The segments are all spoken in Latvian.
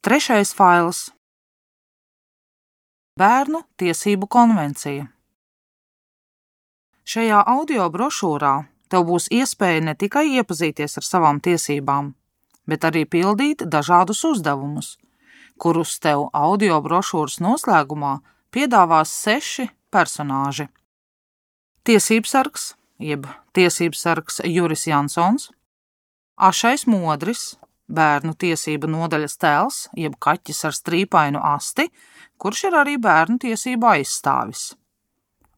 Trešais fails – Bērnu tiesību konvencija. Šajā audio brošūrā tev būs iespēja ne tikai iepazīties ar savām tiesībām, bet arī pildīt dažādus uzdevumus, kurus tev audio brošūras noslēgumā piedāvās 6 personāži. Tiesībsargs, jeb tiesībsargs Juris Jansons, Ašais Modris, bērnu tiesību nodaļas tēls, jeb kaķis ar strīpainu asti, kurš ir arī bērnu tiesību aizstāvis.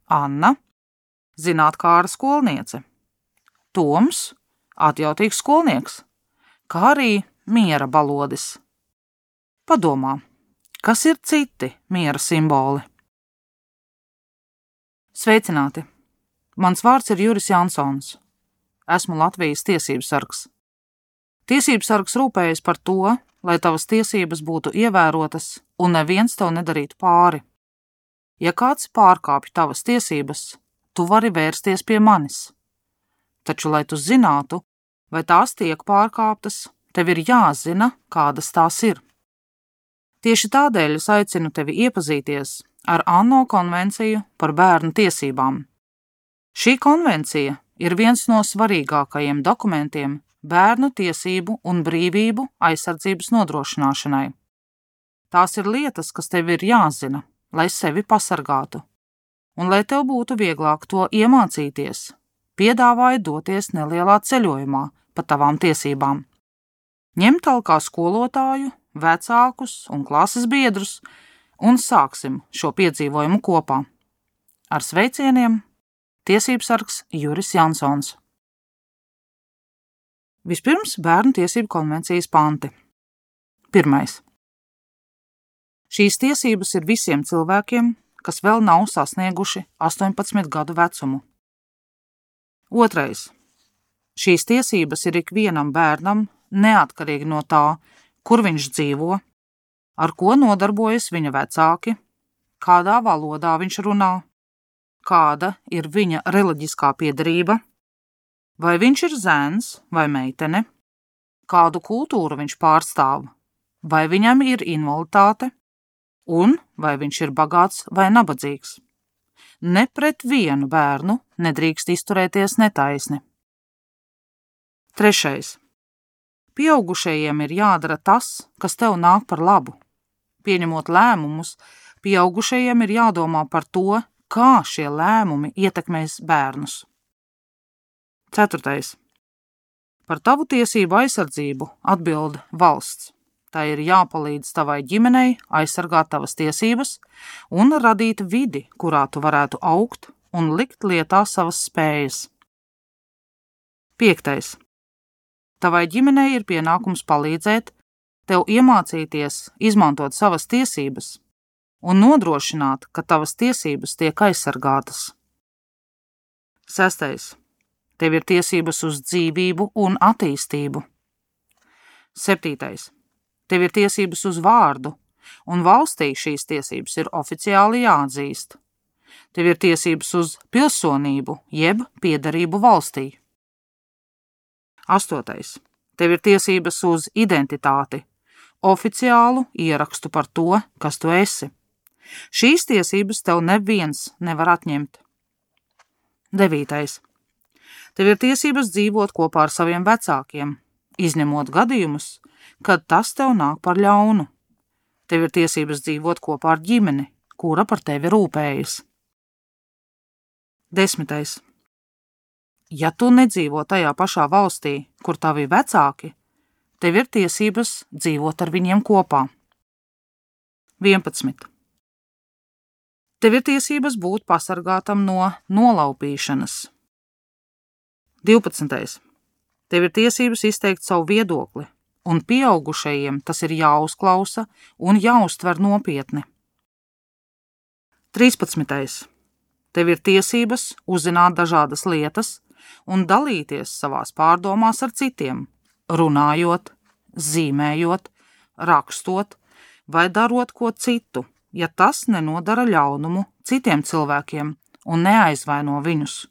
Anna, zinātkāra skolniece. Toms, atjautīgs skolnieks, kā arī miera balodis. Padomā, kas ir citi miera simboli? Sveicināti! Mans vārds ir Juris Jansons. Esmu Latvijas tiesībsargs. Tiesībsargs rūpējas par to, lai tavas tiesības būtu ievērotas un neviens tev nedarītu pāri. Ja kāds pārkāpj tavas tiesības, tu vari vērsties pie manis. Taču, lai tu zinātu, vai tās tiek pārkāptas, tev ir jāzina, kādas tās ir. Tieši tādēļ es aicinu tevi iepazīties ar ANO konvenciju par bērnu tiesībām. Šī konvencija ir viens no svarīgākajiem dokumentiem bērnu tiesību un brīvību aizsardzības nodrošināšanai. Tās ir lietas, kas tev ir jāzina, lai sevi pasargātu, un lai tev būtu vieglāk to iemācīties, piedāvāju doties nelielā ceļojumā pa tavām tiesībām. Ņem talkā skolotāju, vecākus un klases biedrus, un sāksim šo piedzīvojumu kopā. Ar sveicieniem, tiesībsargs Juris Jansons. Vispirms bērnu tiesību konvencijas panti. 1. Šīs tiesības ir visiem cilvēkiem, kas vēl nav sasnieguši 18 gadu vecumu. 2. Šīs tiesības ir ikvienam bērnam, neatkarīgi no tā, kur viņš dzīvo, ar ko nodarbojas viņa vecāki, kādā valodā viņš runā, kāda ir viņa reliģiskā piederība, vai viņš ir zēns vai meitene, kādu kultūru viņš pārstāv, vai viņam ir invaliditāte, un vai viņš ir bagāts vai nabadzīgs. Ne pret vienu bērnu nedrīkst izturēties netaisni. 3. Pieaugušajiem ir jādara tas, kas tev nāk par labu. Pieņemot lēmumus, pieaugušajiem ir jādomā par to, kā šie lēmumi ietekmēs bērnus. 4. Par tavu tiesību aizsardzību atbild valsts. Tā ir jāpalīdz tavai ģimenei aizsargāt tavas tiesības un radīt vidi, kurā tu varētu augt un likt lietā savas spējas. 5. Tavai ģimenei ir pienākums palīdzēt tev iemācīties izmantot savas tiesības un nodrošināt, ka tavas tiesības tiek aizsargātas. 6. Tev ir tiesības uz dzīvību un attīstību. 7. Tev ir tiesības uz vārdu, un valstī šīs tiesības ir oficiāli jāatzīst. Tev ir tiesības uz pilsonību, jeb piederību valstī. 8. Tev ir tiesības uz identitāti, oficiālu ierakstu par to, kas tu esi. Šīs tiesības tev neviens nevar atņemt. 9. Tev ir tiesības dzīvot kopā ar saviem vecākiem, izņemot gadījumus, kad tas tev nāk par ļaunu. Tev ir tiesības dzīvot kopā ar ģimeni, kura par tevi rūpējas. 10. Ja tu nedzīvo tajā pašā valstī, kur tavi vecāki, tev ir tiesības dzīvot ar viņiem kopā. 11. Tev ir tiesības būt pasargātam no nolaupīšanas. 12. Tev ir tiesības izteikt savu viedokli, un pieaugušajiem tas ir jāuzklausa un jāuztver nopietni. 13. Tev ir tiesības uzzināt dažādas lietas un dalīties savās pārdomās ar citiem, runājot, zīmējot, rakstot vai darot ko citu, ja tas nenodara ļaunumu citiem cilvēkiem un neaizvaino viņus.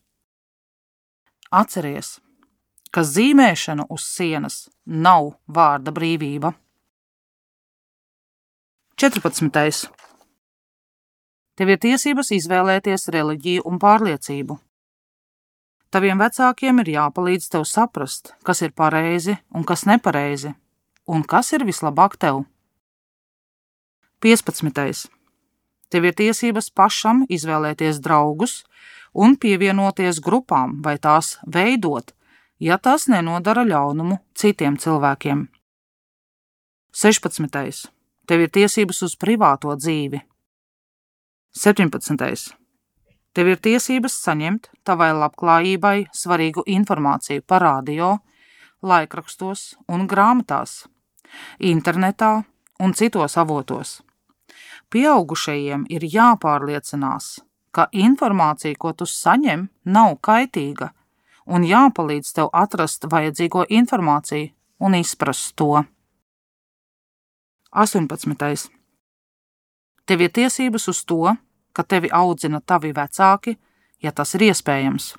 Atceries, ka zīmēšana uz sienas nav vārda brīvība. 14. Tev ir tiesības izvēlēties reliģiju un pārliecību. Taviem vecākiem ir jāpalīdz tev saprast, kas ir pareizi un kas nepareizi, un kas ir vislabāk tev. 15. Tev ir tiesības pašam izvēlēties draugus un pievienoties grupām vai tās veidot, ja tas nenodara ļaunumu citiem cilvēkiem. 16. Tev ir tiesības uz privāto dzīvi. 17. Tev ir tiesības saņemt tavai labklājībai svarīgu informāciju par radio, laikrakstos un grāmatās, internetā un citos avotos. Pieaugušajiem ir jāpārliecinās, ka informācija, ko tu saņem, nav kaitīga, un jāpalīdz tev atrast vajadzīgo informāciju un izprast to. 18. Tev ir tiesības uz to, ka tevi audzina tavi vecāki, ja tas ir iespējams.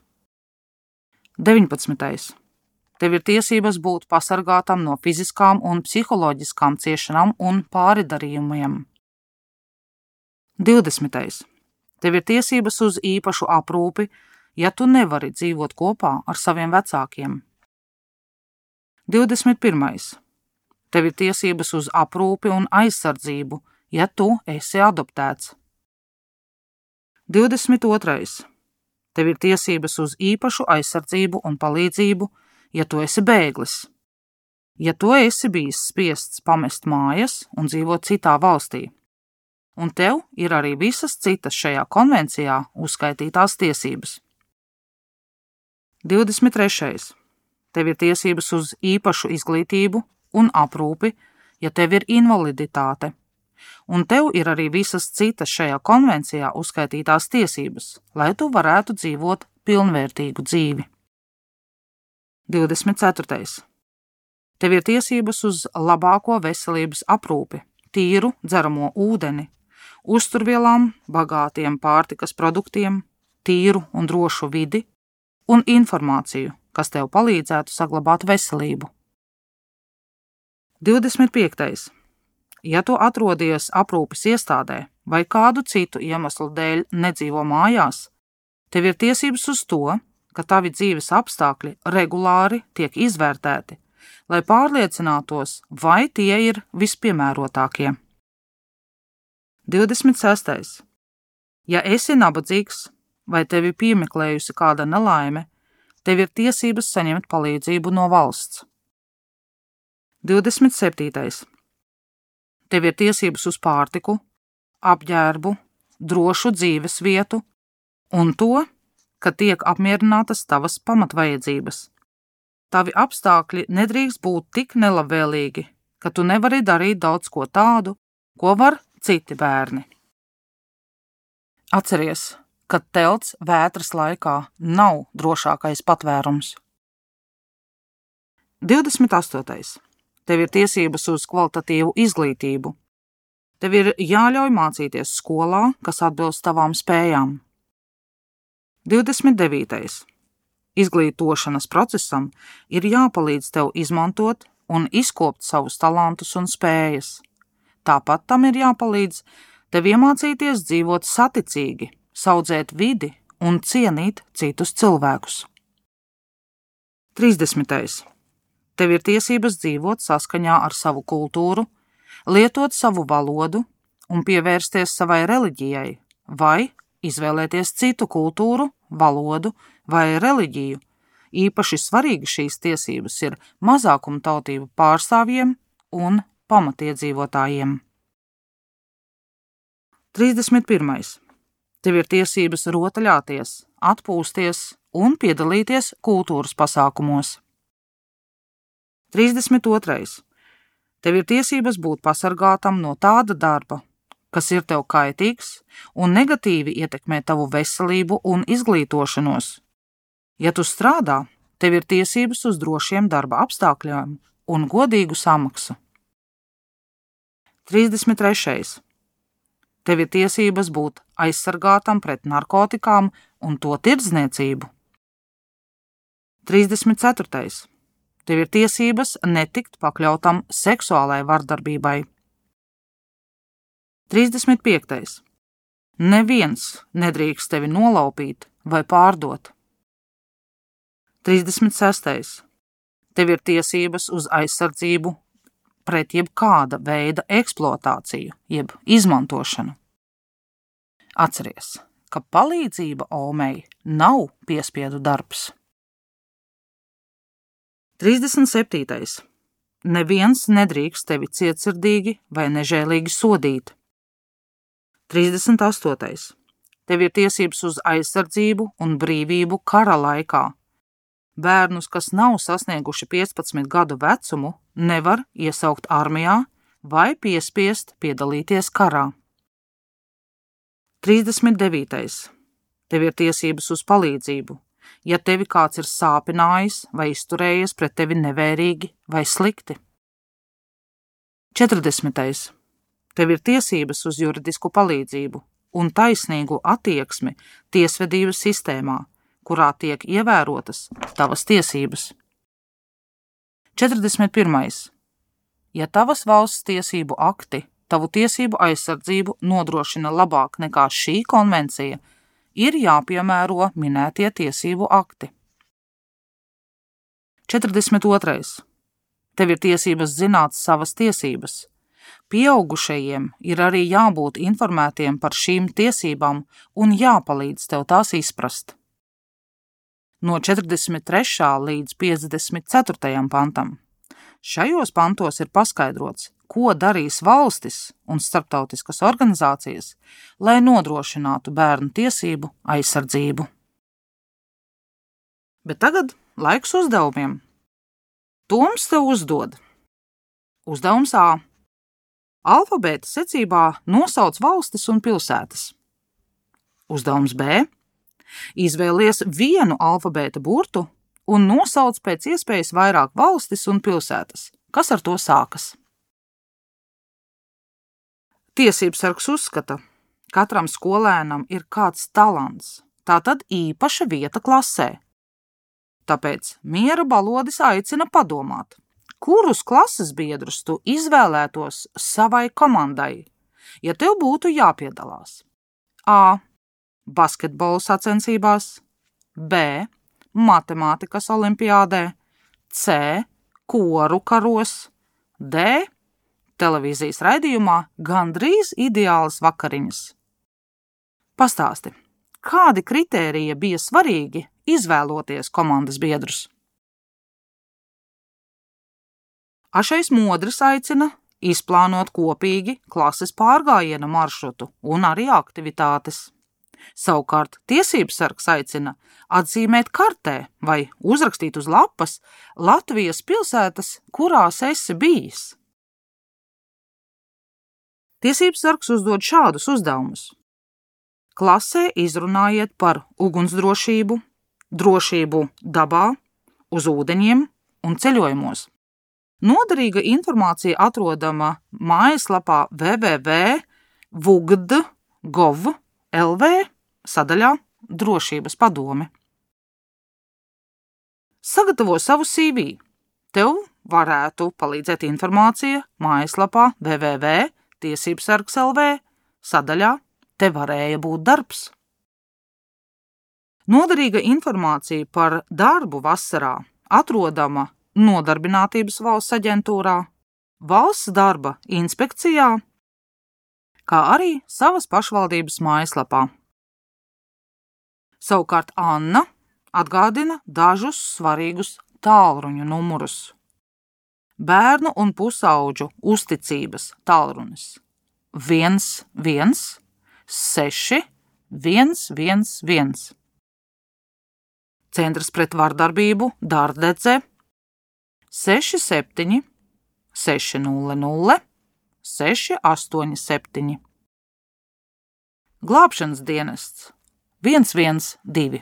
19. Tev ir tiesības būt pasargātam no fiziskām un psiholoģiskām ciešanām un pāridarījumiem. 20. Tev ir tiesības uz īpašu aprūpi, ja tu nevari dzīvot kopā ar saviem vecākiem. 21. Tev ir tiesības uz aprūpi un aizsardzību, ja tu esi adoptēts. 22. Tev ir tiesības uz īpašu aizsardzību un palīdzību, ja tu esi bēglis. Ja tu esi bijis spiests pamest mājas un dzīvot citā valstī. Un tev ir arī visas citas šajā konvencijā uzskaitītās tiesības. 23. Tev ir tiesības uz īpašu izglītību un aprūpi, ja tev ir invaliditāte. Un tev ir arī visas citas šajā konvencijā uzskaitītās tiesības, lai tu varētu dzīvot pilnvērtīgu dzīvi. 24. Tev ir tiesības uz labāko veselības aprūpi, tīru dzeramo ūdeni, uzturvielām, bagātiem pārtikas produktiem, tīru un drošu vidi un informāciju, kas tev palīdzētu saglabāt veselību. 25. Ja tu atrodies aprūpes iestādē vai kādu citu iemeslu dēļ nedzīvo mājās, tev ir tiesības uz to, ka tavi dzīves apstākļi regulāri tiek izvērtēti, lai pārliecinātos, vai tie ir vispiemērotākie. 26. Ja esi nabadzīgs vai tevi piemeklējusi kāda nelaime, tev ir tiesības saņemt palīdzību no valsts. 27. Tev ir tiesības uz pārtiku, apģērbu, drošu dzīves vietu un to, ka tiek apmierinātas tavas pamatvajadzības. Tavi apstākļi nedrīkst būt tik nelabvēlīgi, ka tu nevari darīt daudz ko tādu, ko var citi bērni. Atceries, ka telts vētras laikā nav drošākais patvērums. 28. Tev ir tiesības uz kvalitatīvu izglītību. Tev ir jāļauj mācīties skolā, kas atbilst tavām spējām. 29. Izglītošanas procesam ir jāpalīdz tev izmantot un izkopt savus talantus un spējas. Tāpat tam ir jāpalīdz tev iemācīties dzīvot saticīgi, saudzēt vidi un cienīt citus cilvēkus. 30. Tev ir tiesības dzīvot saskaņā ar savu kultūru, lietot savu valodu un pievērsties savai reliģijai, vai izvēlēties citu kultūru, valodu vai reliģiju. Īpaši svarīgi šīs tiesības ir mazākumtautību pārstāvjiem un pamatiedzīvotājiem. 31. Tev ir tiesības rotaļāties, atpūsties un piedalīties kultūras pasākumos. 32. Tev ir tiesības būt pasargātam no tāda darba, kas ir tev kaitīgs un negatīvi ietekmē tavu veselību un izglītošanos. Ja tu strādā, tev ir tiesības uz drošiem darba apstākļiem un godīgu samaksu. 33. Tev ir tiesības būt aizsargātam pret narkotikām un to tirdzniecību. 34. Tev ir tiesības netikt pakļautam seksuālai vardarbībai. 35. Neviens nedrīkst tevi nolaupīt vai pārdot. 36. Tev ir tiesības uz aizsardzību pret jebkāda veida eksploatāciju, jeb izmantošanu. Atceries, ka palīdzība Omei nav piespiedu darbs. 37. Neviens nedrīkst tevi cietsirdīgi vai nežēlīgi sodīt. 38. Tev ir tiesības uz aizsardzību un brīvību kara laikā. Bērnus, kas nav sasnieguši 15 gadu vecumu, nevar iesaukt armijā vai piespiest piedalīties karā. 39. Tev ir tiesības uz palīdzību, ja tevi kāds ir sāpinājis vai izturējies pret tevi nevērīgi vai slikti. 40. Tev ir tiesības uz juridisku palīdzību un taisnīgu attieksmi tiesvedības sistēmā, kurā tiek ievērotas tavas tiesības. 41. Ja tavas valsts tiesību akti tavu tiesību aizsardzību nodrošina labāk nekā šī konvencija, ir jāpiemēro minētie tiesību akti. 42. Tev ir tiesības zināt savas tiesības. Pieaugušajiem ir arī jābūt informētiem par šīm tiesībām un jāpalīdz tev tās izprast. No 43. līdz 54. pantam. Šajos pantos ir paskaidrots, ko darīs valstis un starptautiskas organizācijas, lai nodrošinātu bērnu tiesību aizsardzību. Bet tagad laiks uzdevumiem. Toms tev uzdod. Uzdevums A. Alfabēta secībā nosauc valstis un pilsētas. Uzdevums B. Izvēlies vienu alfabēta burtu un nosauc pēc iespējas vairāk valstis un pilsētas. Kas ar to sākas? Tiesībsargs uzskata, katram skolēnam ir kāds talants, tātad īpaša vieta klasē. Tāpēc Miera Balodis aicina padomāt, kurus klases biedrus tu izvēlētos savai komandai, ja tev būtu jāpiedalās. A. Basketbola sacensībās, B. Matemātikas olimpiādē, C. Koru karos, D. Televīzijas raidījumā Gandrīz ideālas vakariņas. Pastāsti, kādi kritēriji bija svarīgi izvēloties komandas biedrus? Ašais Modris aicina izplānot kopīgi klases pārgājiena maršrutu un arī aktivitātes. Savukārt tiesībsargs aicina atzīmēt kartē vai uzrakstīt uz lapas Latvijas pilsētas, kurās esi bijis. Tiesībsargs uzdod šādus uzdevumus. Klasē izrunājiet par ugunsdrošību, drošību dabā, uz ūdeņiem un ceļojumos. Noderīga informācija atrodama mājaslapā www.vugd.gov.lv sadaļā Drošības padome. Sagatavo savu CV. Tev varētu palīdzēt informācija mājaslapā www.tiesībsargs.lv sadaļā Te varēja būt darbs. Noderīga informācija par darbu vasarā atrodama Nodarbinātības valsts aģentūrā, valsts darba inspekcijā, kā arī savas pašvaldības mājaslapā. Savukārt Anna atgādina dažus svarīgus tālruņu numurus. Bērnu un pusauģu uzticības tālrunis 116 111. Centrs pret vardarbību Dārdedze 67 600 687. Glābšanas dienests 112.